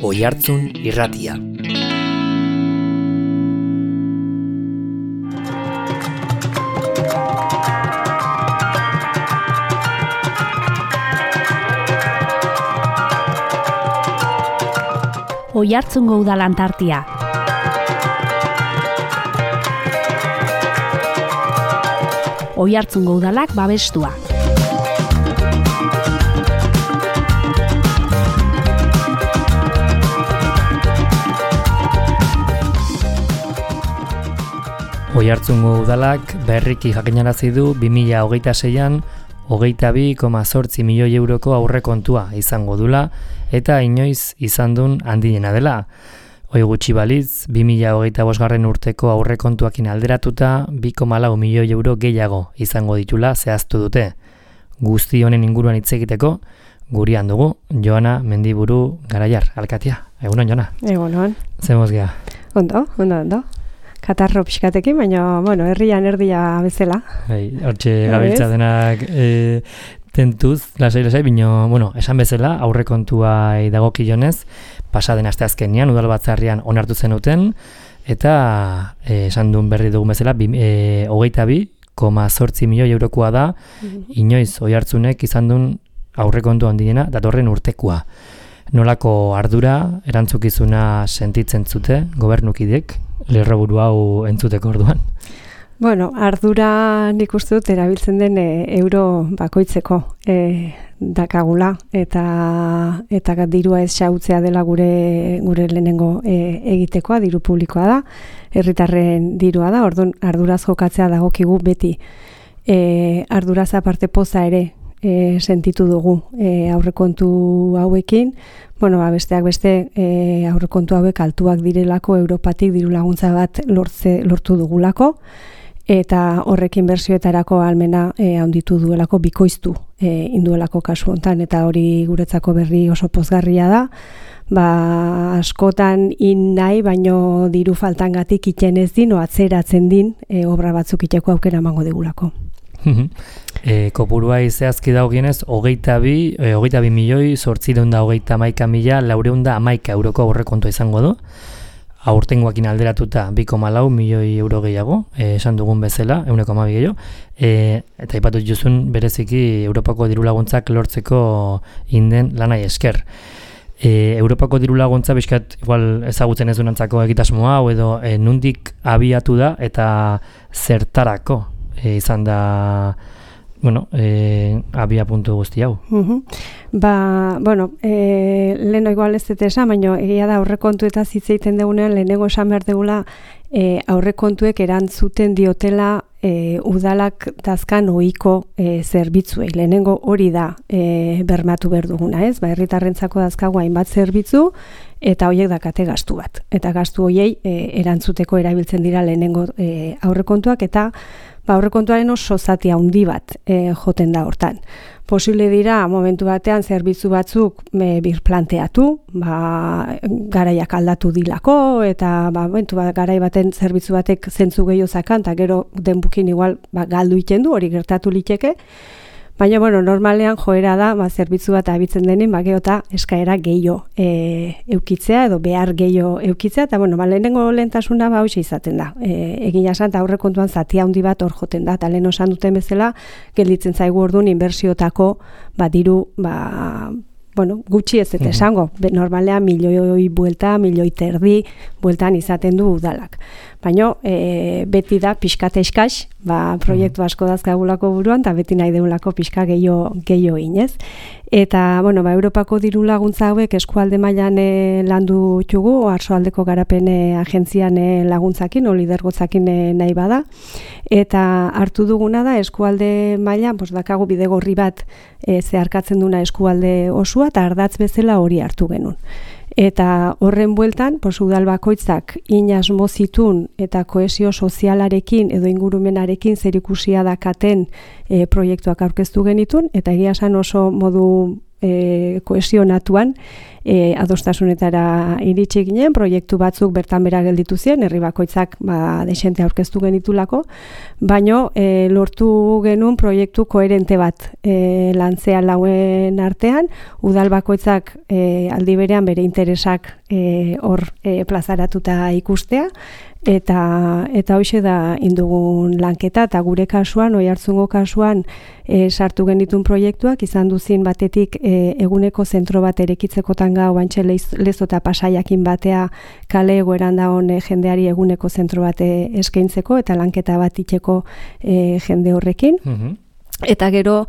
Oihartzun Irratia. Oihartzungo Udal Antartia. Oihartzungo Udalak babestua. Oihartzungo Udalak berriki jakinarazi du 2026an 22,8 milioi euroko aurrekontua izango dula eta inoiz izan duen handiena dela. Hoi gutxi balitz, 2025 urteko aurrekontuakin alderatuta 2,4 milioi euro gehiago izango ditula zehaztu dute. Guzti honen inguruan hitz egiteko, gurean dugu Joana Mendiburu Garaiar, alkatia. Egunon, Joana? Egunon. Zemoz geha? Ondo. Katarro pixkatekin, baina, herrian erdia bezala. Hortxe gabiltza denak tentuz, lasai, baina, esan bezala, aurrekontua dagokionez, pasaden asteazkenean, udal batzarrian onartu zenuten, eta esan duen berri dugun bezala, 22,8 milioi eurokoa da, inoiz Oihartzunek izan duen aurrekontu handiena, datorren urtekoa. Nolako ardura, erantzukizuna sentitzen zute, gobernukidek, lerroburu hau entzuteko orduan? Ardura nik uste dut erabiltzen den euro bakoitzeko dakagula eta dirua ez xautzea dela gure lehenengo egitekoa, diru publikoa da, herritarren dirua da, orduan arduraz jokatzea dagokigu beti. Arduraz aparte poza ere sentitu dugu aurrekontu hauekin, besteak beste aurrekontu hauek altuak direlako Europatik diru laguntza bat lortu dugulako, eta horrekin inbertsioetarako ahalmena handitu duelako, bikoiztu induelako kasu hontan, eta hori guretzako berri oso pozgarria da. Askotan nahi, baino diru faltangatik iten ez din, atzeratzen din, obra batzuk iteko aukera emango digulako. Kopurua zehazki dagokienez, 22 milioi 831,11 euroko aurrekontua izango du. Aurtengoakin alderatuta 2,4 milioi euro gehiago, esan dugun bezala, 1,2 gehiago, eta aipatu juzun bereziki Europako diru laguntzak lortzeko inden lanai esker. Europako diru laguntza bizkat igual ezagutzen ez dunantzako egitasmo hau edo nundik abiatu da eta zertarako izan da abia puntu guzti hau. Leheno igual ez dut esan, baina egia da aurrekontu eta zitzeiten degunean lehenengo esan behar degula aurrekontuek erantzuten diotela udalak dazkan ohiko zerbitzuei. Lehenengo hori da bermatu behar duguna, ez? Herritarrentzako dazkagu hainbat zerbitzu eta horiek dakate gastu bat. Eta gastu horiei erantzuteko erabiltzen dira lehenengo aurrekontuak eta aurrekontuaren oso zati handi bat joten da hortan. Posible dira momentu batean zerbitzu batzuk birplanteatu, garaiak aldatu dilako eta garai baten zerbitzu batek zentzu gehiago zakan eta gero denbukin igual galdu iten du, hori gertatu liteke. Baina, normalean joera da, zerbitzu bat abitzen denin, geota eskaera gehiago eukitzea edo behar gehiago eukitzea, eta lehenengo lehentasuna hoxe izaten da. Egin esan, aurrekontuan zati handi bat hor joten da, eta lehen osan duten bezala, gelditzen zaigu orduan inbertsiotako diru, gutxi ez dut esango. Normalean milioi buelta, milioi terdi bueltan izaten du udalak. Baina beti da pixkate eskaz, proiektu asko dazkagulako buruan, eta beti nahi deulako pixka gehiago inez. Eta, Europako diru laguntza hauek eskualde mailan landu txugu, Oarsoaldeko garapen agentzian laguntzakin, lidergotzakin nahi bada. Eta hartu duguna da eskualde mailan, dakagu bidegorri bat zeharkatzen duna eskualde osua, eta ardatz bezala hori hartu genuen. Eta horren bueltan, udal bakoitzak inasmo zitun eta kohesio sozialarekin edo ingurumenarekin zerikusia dakaten proiektuak aurkeztu genitun, eta egia esan oso modu kohesionatuan, adostasunetara iritsi ginen, proiektu batzuk bertan bera gelditu ziren, herri bakoitzak desente aurkeztu genitulako, baino lortu genuen proiektu koherente bat lantzea lauen artean, udal bakoitzak aldi berean bere interesak hor plazaratuta ikustea, eta hoxe da indugun lanketa, eta gure kasuan, Oiartzungo kasuan sartu genitun proiektuak, izan duzin batetik eguneko zentro bat erekitzekotan gau, bantxe Lezo eta Pasaiakin batea kale egoeran dagoen jendeari eguneko zentro bat eskaintzeko, eta lanketa bat itxeko jende horrekin. Eta gero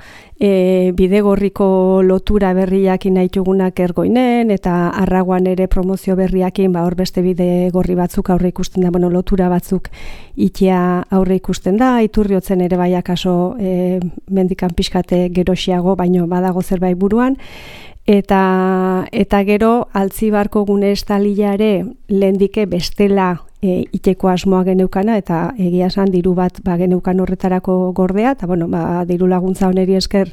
bidegorriko lotura berriakin nahitugunak Ergoinen eta Arraguan ere promozio berriakin hor beste bidegorri batzuk aurre ikusten da, lotura batzuk itea aurre ikusten da, Iturriotzen ere bai akaso mendikan pixkate gerosiago, baino badago zerbait buruan. Eta gero Altzibarko gune estalilare lehendike bestela iteko asmoa geneukana, eta egia esan diru bat geneukan horretarako gordea, eta diru laguntza honeri esker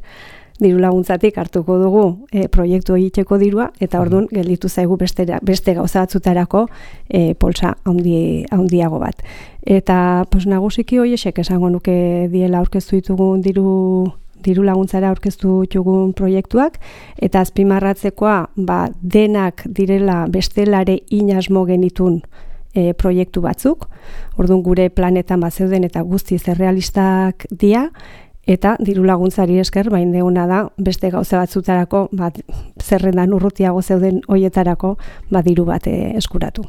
diru laguntzatik hartuko dugu proiektu egiteko dirua, eta orduan gelditu zaigu beste gauza batzutarako polsa handiago bat. Eta nagusiki horiek esango nuke diela aurkeztu ditugun diru laguntzara aurkeztu ditugun proiektuak, eta azpimarratzekoa denak direla bestelare inasmo genitun proiektu batzuk, orduan gure planetan zeuden eta guztiz errealistak dira, eta diru laguntzari esker deuna da beste gauza batzutarako zerrendan urrutiago zeuden hoietarako diru bat eskuratu.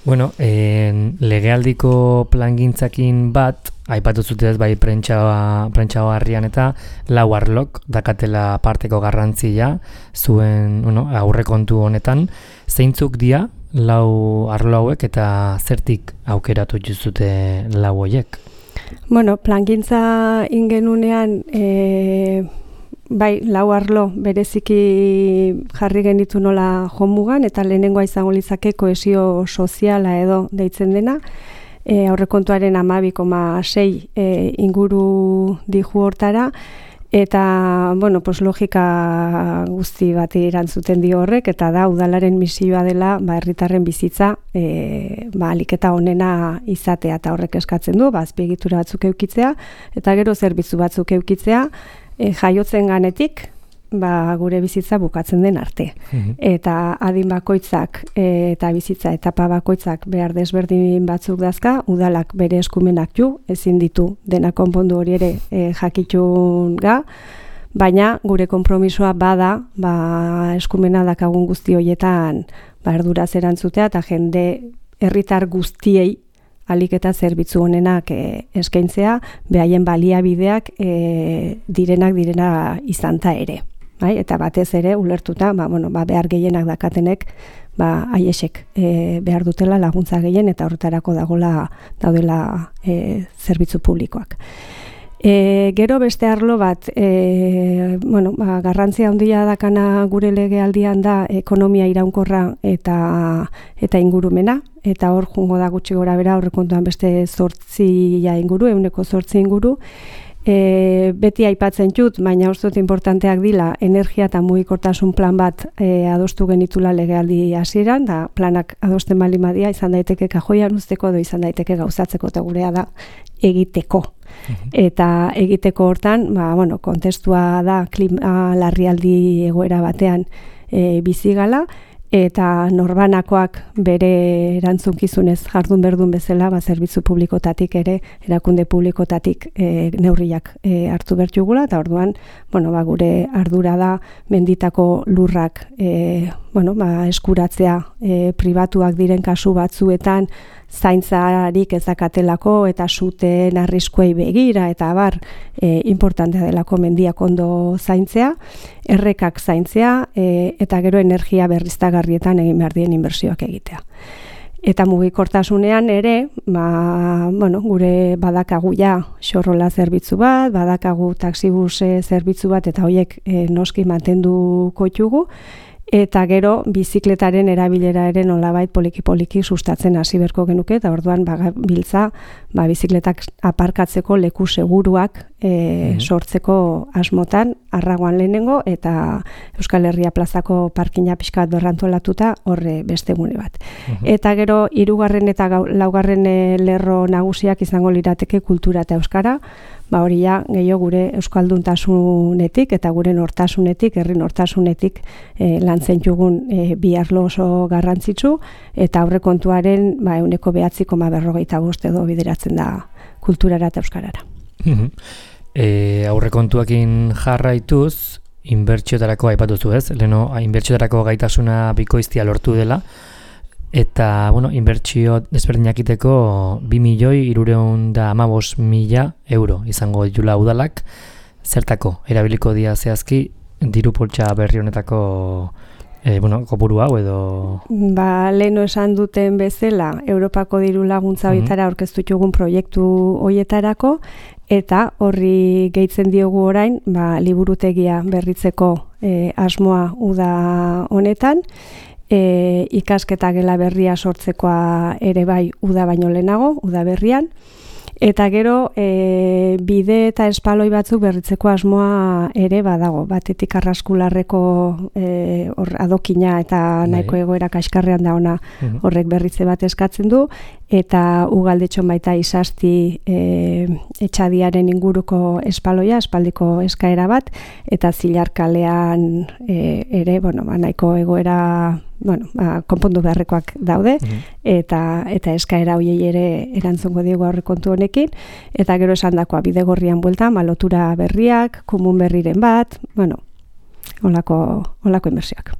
Bueno, legealdiko plangintzakin bat, aipatu zutez bai prentsa harrian eta lau arlok dakatela parteko garrantzia zuen aurrekontu honetan. Zeintzuk dira lau arlo hauek eta zertik aukeratu zute lau horiek? Bueno, plangintza ingenunean lau arlo bereziki jarri genitu nola jomugan, eta lehenengoa izango litzake kohesio soziala edo deitzen dena, aurrekontuaren 12,6 inguru dihu hortara, eta, logika guzti bat erantzuten dio horrek, eta da udalaren misioa dela herritarren bizitza ahalik eta onena izatea, eta horrek eskatzen du, azpiegitura batzuk eukitzea, eta gero zerbitzu batzuk eukitzea, jaiotzen ganetik, gure bizitza bukatzen den arte. Eta adin bakoitzak eta bizitza etapa bakoitzak behar desberdin batzuk dazka, udalak bere eskumenak ezin ditu dena konpondu hori ere jakitun ga, baina gure konpromisoa bada eskumena dakagun guzti horietan erduraz erantzutea, eta jende herritar guztiei ahalik eta zerbitzu honenak eskaintzea, behaien baliabideak direna izanta ere. Eta batez ere ulertuta, behar gehienak dakatenek, haiesek behar dutela laguntza gehien, eta horretarako daudela zerbitzu publikoak. Gero beste arlo bat, garrantzia handia dakana gure legealdian da ekonomia iraunkorra eta ingurumena, eta hor jungo da gutxi gora bera aurrekontuan beste 8 inguru, 8 inguru. Beti aipatzen dut, baina uste dut importanteak dila energia eta mugikortasun plan bat adostu genitula legealdi hasieran, da planak adosten baldin badia izan daiteke kajoian uzteko edo izan daiteke gauzatzeko, eta gurea da egiteko. Eta egiteko hortan, kontestua da klima larrialdi egoera batean bizigala, eta norbanakoak bere erantzunkizunez jardun berdun bezala, zerbitzu publikotatik ere, erakunde publikotatik neurriak hartu bertugula, eta orduan, gure ardura da menditako lurrak eskuratzea pribatuak diren kasu batzuetan, zaintzarik ezakatelako eta zuten arriskuei begira eta importantea delako mendiak ondo zaintzea, errekak zaintzea eta gero energia berriztagarrietan egin behar dien inbertsioak egitea. Eta mugikortasunean ere, gure badakagu xorrola zerbitzu bat, badakagu taxibus zerbitzu bat, eta horiek noski mantenduko ditugu, eta gero bizikletaren erabilera ere nolabait poliki-poliki sustatzen hasi beharko genuke, eta orduan biltza bizikletak aparkatzeko leku seguruak sortzeko asmotan, Arragoan lehenengo, eta Euskal Herria plazako parkina pixka bat berrantolatuta horre beste gune bat. Eta gero, 3. eta 4. lerro nagusiak izango lirateke kultura eta euskara, hori ja, gehiago gure euskalduntasunetik eta gure nortasunetik, herri nortasunetik lantzen jugun bi arlo oso garrantzitsu, eta aurrekontuaren 9,45 edo bideratzen da kulturara eta euskarara. Aurrekontuekin jarraituz, inbertsioetarako aipatuzu ez, leheno inbertsioetarako gaitasuna bikoiztia lortu dela, eta, inbertsio desberdinakiteko 2.315.000 euro izango ditula udalak, zertako, erabiliko dia zehazki, diru poltsa berri honetako kopuru hau edo... Leheno esan duten bezala, Europako diru laguntza horietara aurkeztu txugun proiektu horietarako, eta horri gehitzen diogu orain, liburutegia berritzeko asmoa uda honetan, ikasketa gela berria sortzekoa ere bai uda baino lehenago, uda berrian, eta gero bide eta espaloi batzuk berritzeko asmoa ere badago, batetik Arraskularreko adokina eta nahiko egoera kaskarrean da ona horrek berritze bat eskatzen du, eta Ugaldetxon baita Izasti etxadiaren inguruko espaloia, espaldiko eskaera bat, eta Zilarkalean ere, nahiko egoera konpondu beharrekoak daude, eta eskaera hoiei ere erantzungo diegu aurrekontu honekin, eta gero esandakoa Bidegorrian bueltan, lotura berriak, komun berriren bat, holako inbertsioak.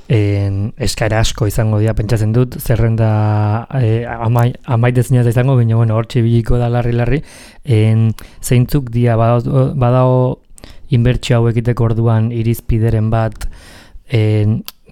Eskaera asko izango dira, pentsatzen dut, zerrenda amaitezina izango, baina hortxe biliko da larri-larri, zeintzuk dia badago inbertsio hau egiteko orduan irizpideren bat,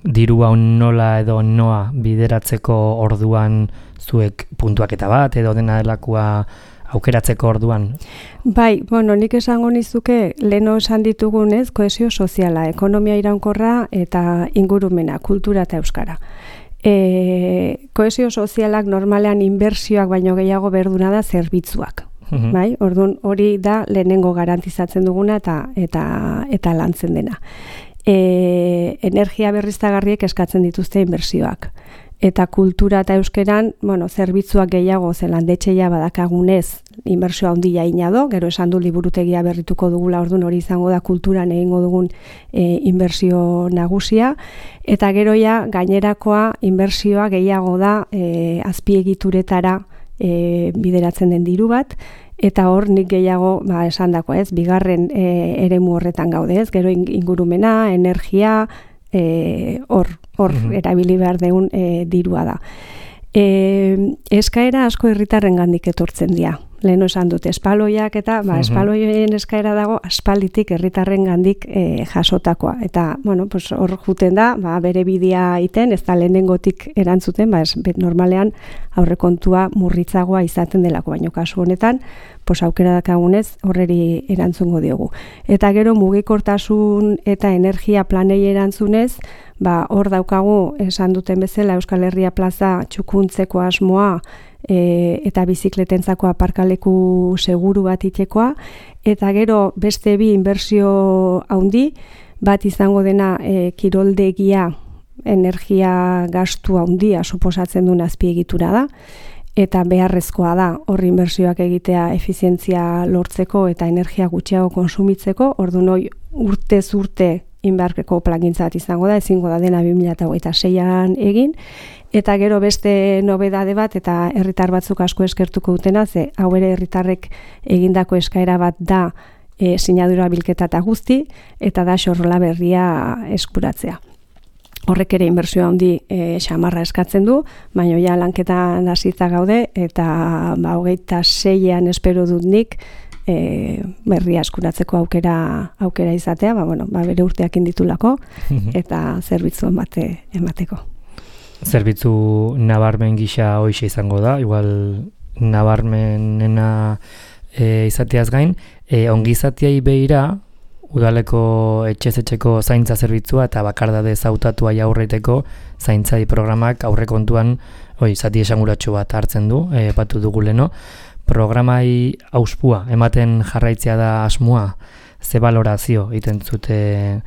diru hau nola edo noa bideratzeko orduan zuek puntuaketa bat edo dena delakoa aukeratzeko orduan? Bai, nik esango nizuke leheno esan ditugunez, kohesio soziala, ekonomia iraunkorra eta ingurumena, kultura eta euskara. Kohesio sozialak normalean inbertsioak baino gehiago berduna da zerbitzuak. Bai, orduan hori da lehenengo garantizatzen duguna eta lantzen dena. Energia berriztagarriek eskatzen dituzte inbertsioak. Eta kultura eta euskeran, zerbitzuak gehiago zelandetxeia badakagunez inbertsioa handia inado, gero esan du liburutegia berrituko dugula, orduan hori izango da kulturan egingo dugun inbertsio nagusia, eta gero ja gainerakoa inbertsioa gehiago da azpiegituretara bideratzen den diru bat, eta hor nik gehiago esandako ez, bigarren eremu horretan gaude ez, gero ingurumena, energia, hor erabili behar deun dirua da. Eskaera asko herritarren gandik etortzen dira. Leheno esan dut, espaloiak eta espaloien eskaera dago aspalditik herritarren gandik jasotakoa. Eta, hor juten da, bere bidea iten, ez da lehenengotik erantzuten, normalean aurrekontua murritzagoa izaten delako, baino kasu honetan, aukera dakagunez horreri erantzungo diogu. Eta gero mugikortasun eta energia planei erantzunez, hor daukagu esan duten bezala Euskal Herria plaza txukuntzeko asmoa eta bizikletentzako aparkaleku seguru bat itekoa, eta gero beste bi inbertsio handi, bat izango dena kiroldegia energia gastu handia suposatzen duen azpiegitura da, eta beharrezkoa da horri inbertsioak egitea efizientzia lortzeko eta energia gutxiago konsumitzeko, orduan urtez urte inberkeko plangintza bat izango da, ezingo da dena 2026an egin, eta gero beste nobedade bat eta herritar batzuk asko eskertuko dutena, ze hau ere herritarrek egindako eskaera bat da sinadura bilketa eta guzti, eta da xorrola berria eskuratzea. Horrek ere inbertsioa handi xamarra eskatzen du, baina ja lanketan hasita gaude, eta 26an espero dut nik berria eskuratzeko aukera izatea, bere urteak inditulako, eta zerbitzuen bate emateko. Zerbitzu nabarmen gisa hoixe izango da, igual nabarmenena izateaz gain, ongizateai behira, udaleko etxez-etxeko zaintza zerbitzua eta bakardade zautatua aurreiteko zaintzai programak aurrekontuan zati esanguratsu bat hartzen du, epatu dugu leno. programai auspua ematen jarraitzea da asmoa, ze balorazio egiten zute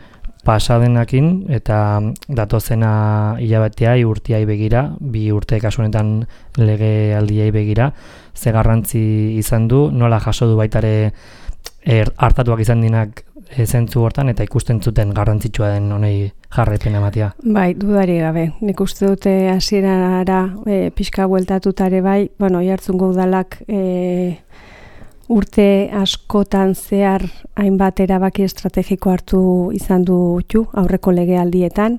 pasadenakin eta datozena hilabeteai urteai begira, 2 urte kasu honetan legealdiei begira, ze garrantzi izan du, nola jaso du baitare hartatuak izan dinak zentzu hortan eta ikusten zuten garrantzitsua den honei jarraipena ematea. Bai, dudari gabe. Nik uste dute hasierara pixka bueltatutare bai, Oiartzungo udalak urte askotan zehar hainbat erabaki estrategiko hartu izan du aurreko legealdietan,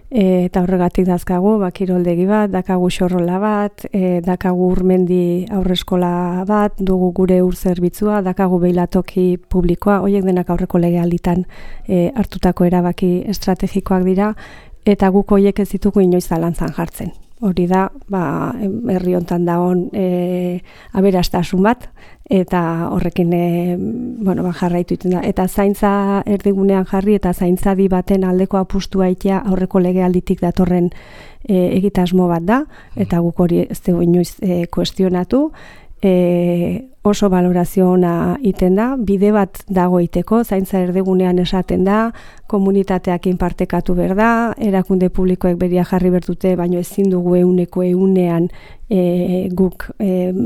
eta horregatik dazkagu, kiroldegi bat, dakagu xorrola bat, dakagu urmendi aurreskola bat, dugu gure ur zerbitzua, dakagu beilatoki publikoa, horiek denak aurreko legealditan hartutako erabaki estrategikoak dira, eta guk horiek ez ditugu inoiz zalantzan jartzen. Hori da, herri hontan dagoen aberastasun bat, eta horrekin jarraitu iten da. Eta zaintza erdigunean jarri eta zaintzadi baten aldeko apustua itea aurreko legealditik datorren egitasmo bat da, eta guk hori ez dugu inoiz kuestionatu. Oso balorazio ona iten da, bide bat dago iteko, zaintza erdigunean esaten da, komunitateakin partekatu behar da, erakunde publikoek beria jarri bertute, baino ezin dugu ehunean guk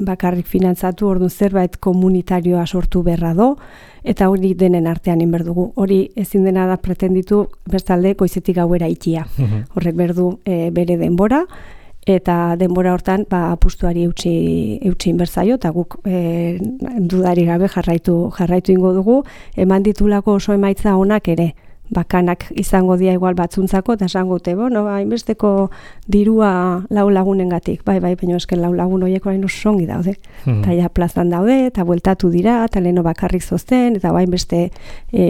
bakarrik finantzatu, orduan zerbait komunitarioa sortu beharra do, eta hori denen artean inberdugu. Hori ezin dena da pretenditu bestalde goizetik gauera ikia. Horrek berdu bere denbora, eta denbora hortan apustuari eutsi inbertzaio, eta guk dudari gabe jarraitu ingo dugu, eman ditulako oso emaitza onak ere, bakanak izango dia igual batzuntzako, eta esango dute, hainbesteko dirua 4 lagunengatik, baina esken 4 lagun horiek orain oso ongi daude, eta ja plazan daude, eta bueltatu dira, eta leheno bakarrik zozten, eta hainbeste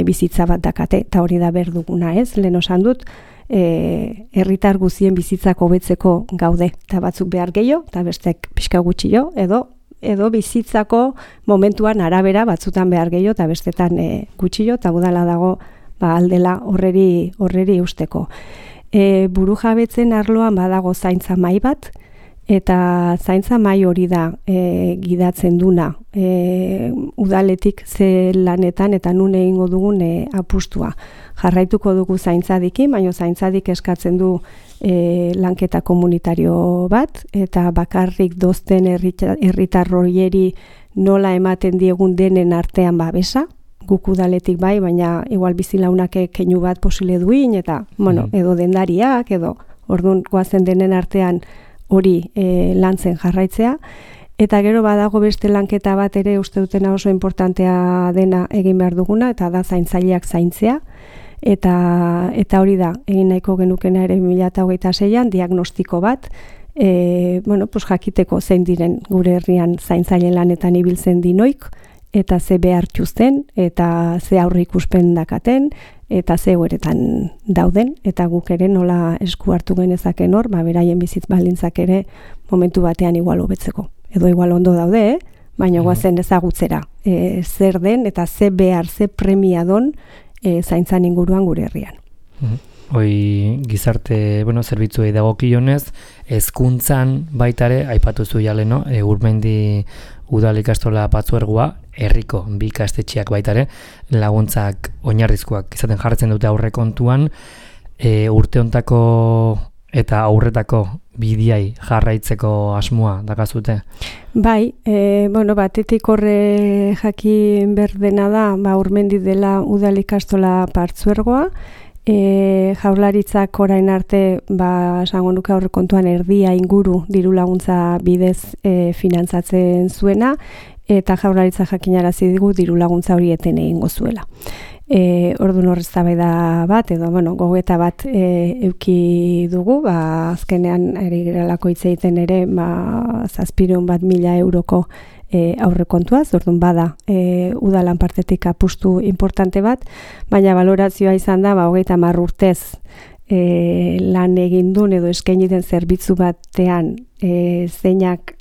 bizitza bat dakate, eta hori da berduguna ez, leheno esan dut, herritar guzien bizitzako hobetzeko gaude, eta batzuk behar gehiago, eta bestek pixka gutxio, edo bizitzako momentuan arabera batzutan behar gehiago, eta bestetan gutxio, eta udala dago aldela horreri usteko. Buru jabetzen arloan badago zaintza mai bat, eta zaintza mai hori da gidatzen duna udaletik ze lanetan eta nun egingo dugun apustua. Jarraituko dugu zaintzadikin, baina zaintzadik eskatzen du lanketa komunitario bat, eta bakarrik dozten herritar horieri nola ematen diegun denen artean babesa, guk udaletik bai, baina igual bizilaunak keinu bat posile duin, eta edo dendariak, edo orduan goazen denen artean hori lantzen jarraitzea, eta gero badago beste lanketa bat ere uste dutena oso importantea dena egin behar duguna, eta da zaintzaileak zaintzea, eta hori da, egin nahiko genukena ere 2026an diagnostiko bat, jakiteko zein diren gure herrian zaintzaile lanetan ibiltzen dinoik, eta ze behar txuzten, eta ze aurre ikuspen dakaten, eta ze egoeretan dauden, eta guk ere nola esku hartu genezaken hor, beraien bizitz baldintzak ere momentu batean igual hobetzeko. Edo igual ondo daude, baina goazen ezagutzera. Zer den eta ze behar, ze premia don zaintzan inguruan gure herrian. Hoi gizarte, zerbitzuei dagokionez, hezkuntzan baitare, aipatu zu jale, Urmendi udal ikastola Patzuergoa, herriko 2 ikastetxeak baitare, laguntzak oinarrizkoak izaten jartzen dute aurrekontuan, urte hontako eta aurretako bidiai jarraitzeko asmoa dakazute? Bai, batetik horre jakin berdena da, Urmendi dela udal ikastola Patzuergoa, Jaurlaritzak orain arte esango nuke aurrekontuan erdia inguru diru laguntza bidez finantzatzen zuena, eta Jaurlaritza jakinarazi digu diru laguntza hori eten egingo zuela. Orduan eztabaida bat edo gogoeta bat eduki dugu, azkenean ari geralako hitz egiten ere 700.000 euroko aurrekontuaz, orduan bada udalan partetik apustu importante bat, baina balorazioa izan da 30 urtez lan egin duen edo eskaini den zerbitzu batean zeinak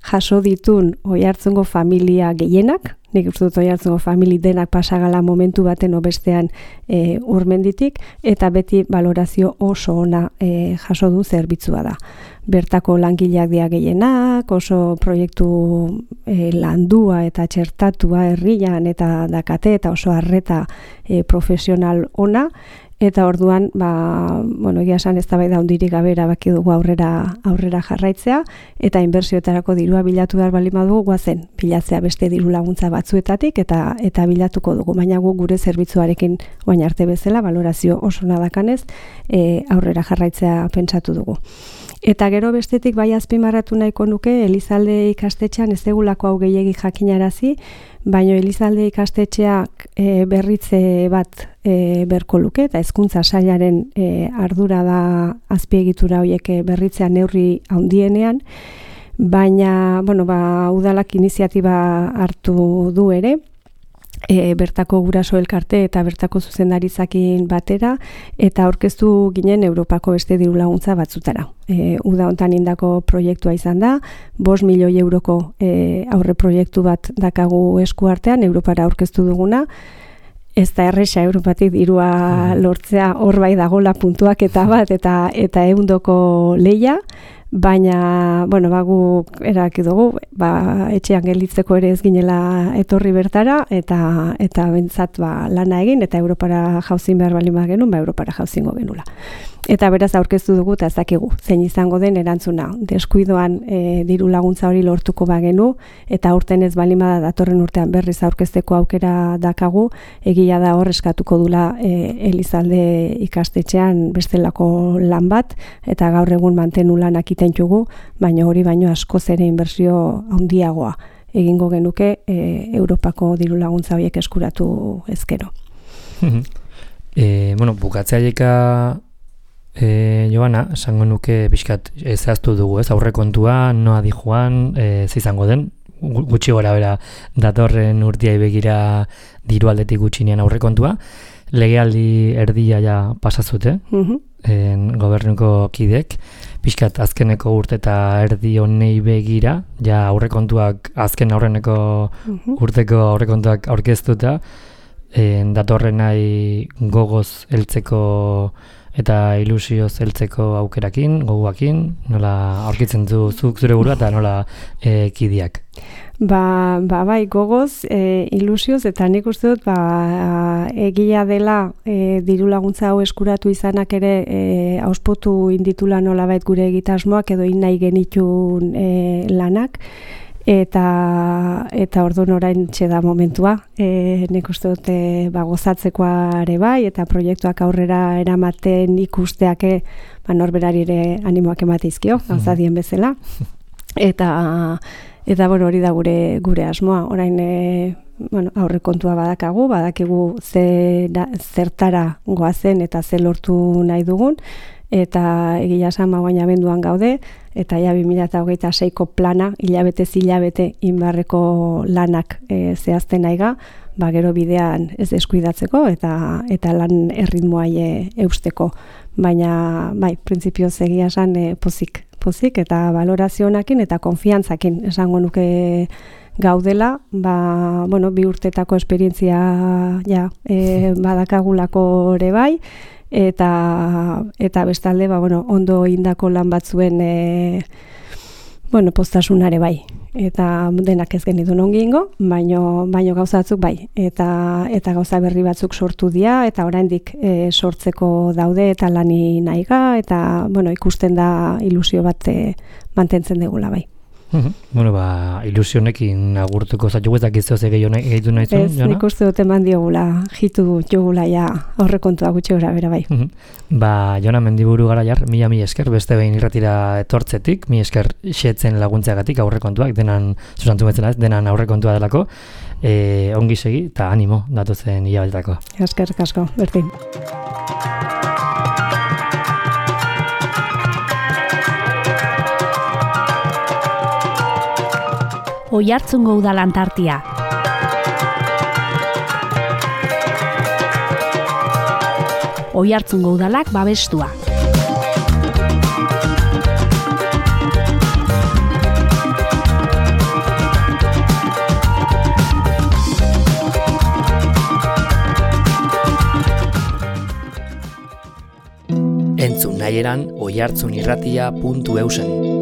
jaso ditun Oiartzungo familia gehienak, nik uste dut Oiartzungo famili denak pasagala momentu baten bestean urmenditik, eta beti valorazio oso ona jaso du zerbitzua da. Bertako langileak dira gehienak, oso proiektu landua eta txertatua herrian eta dakate eta oso arreta profesional ona, eta orduan, egia esan eztabaida handirik gabe erabaki dugu aurrera jarraitzea, eta inbertsioetarako dirua bilatu behar baldin badugu, goazen bilatzea beste diru laguntza batzuetatik eta bilatuko dugu, baina gure zerbitzuarekin orain arte bezala valorazio oso nadakanez aurrera jarraitzea pentsatu dugu. Eta gero bestetik bai azpimarratu nahiko nuke Elizalde ikastetxean ez degulako hau gehiegi jakinarazi, baina Elizalde ikastetxeak berritze bat berko luke, eta hezkuntza sailaren ardura da azpiegitura horiek berritzea neurri handienean, baina udalak iniziatiba hartu du ere, bertako guraso elkarte eta bertako zuzendaritzakin batera, eta aurkeztu ginen Europako beste diru laguntza batzutara. Uda hontan indako proiektua izan da, 5 milioi euroko aurre proiektu bat dakagu esku artean, Europara aurkeztu duguna, ez da erresa Europatik dirua lortzea, hor bai dagola puntuak eta bat, eta ehundoko leia, baina, guk erabaki dugu, etxean gelditzeko ere ez ginela etorri bertara, eta bentsat lana egin, eta Europara jauzin behar baldin bagenuen, Europara jauzingo genula. Eta beraz aurkeztu dugu, eta ez dakigu, zein izango den erantzuna. Deskuidoan diru laguntza hori lortuko bagenu, eta aurten ez baldin bada datorren urtean berriz aurkezteko aukera dakagu, egia da hor eskatuko dula Elizalde ikastetxean bestelako lan bat, eta gaur egun mantenu lanak itentugu, baina hori baino askoz ere inbertsio handiagoa egingo genuke Europako diru laguntza horiek eskuratu ezkero. Bukatzea Joana, esango nuke pixkat zehaztu dugu, aurrekontua, noa di joan, izango den, gutxi gora bera datorren urtiai begira diru aldetik gutxinean aurrekontua, legealdi erdia ja pasazute, gobernuko kidek, pixkat azkeneko urte eta erdi honei begira, ja aurrekontuak, azken aurreneko urteko aurrekontuak aurkeztuta, datorren nahi gogoz heltzeko eta ilusioz heltzeko aukerakin, goguakin, nola aurkitzen zuk zure burua eta nola kidiak? Bai, gogoz, ilusioz, eta nik uste dut, egia dela diru laguntza hau eskuratu izanak ere auspotu inditula nolabait gure egitasmoak edo nahi genitun lanak, eta orduan orain txeda momentua, nik uste dut gozatzekoa ere bai, eta proiektuak aurrera eramaten ikusteak norberari ere animoak emateizkio, gauzadien bezala, eta hori da gure asmoa, orain aurrekontua badakigu zertara goazen eta ze lortu nahi dugun, eta egia esan baina abenduan gaude, eta ja 2026ko plana, hilabetez hilabete inbarreko lanak zehazten naiga, gero bidean ez deskuidatzeko eta lan erritmoai eusteko. Baina, printzipioz egia esan pozik eta valorazionakin eta konfiantzakin esango nuke gaudela, 2 urtetako esperientzia badakagulako ere bai, eta bestalde ondo indako lan batzuen postasunare bai, eta denak ez genitun ongingo, baino gauzatzuk bai, eta gauza berri batzuk sortu dira, eta oraindik sortzeko daude eta lani nahiga, eta ikusten da ilusio bat mantentzen degula bai. Ilusionekin agurtuko zaitu ez dakizu ze gehitu nahi zuen, Jona? Ez, nik uste dut eman diogula, jitu jogula ja aurrekontua gutxi gora bera bai. Jona Mendiburu Garaiar, mila esker, beste behin irratira etortzetik, mila esker xetzen laguntzeagatik aurrekontuak, denan, susantu betzela ez, denan aurrekontua delako, ongi segi eta animo datuzen hilabetako. Eskerrik asko, berdin. Oiartzungo udalantartia. Oiartzungo udalak babestua. Entzun nahi eran oihartzunirratia.eusen.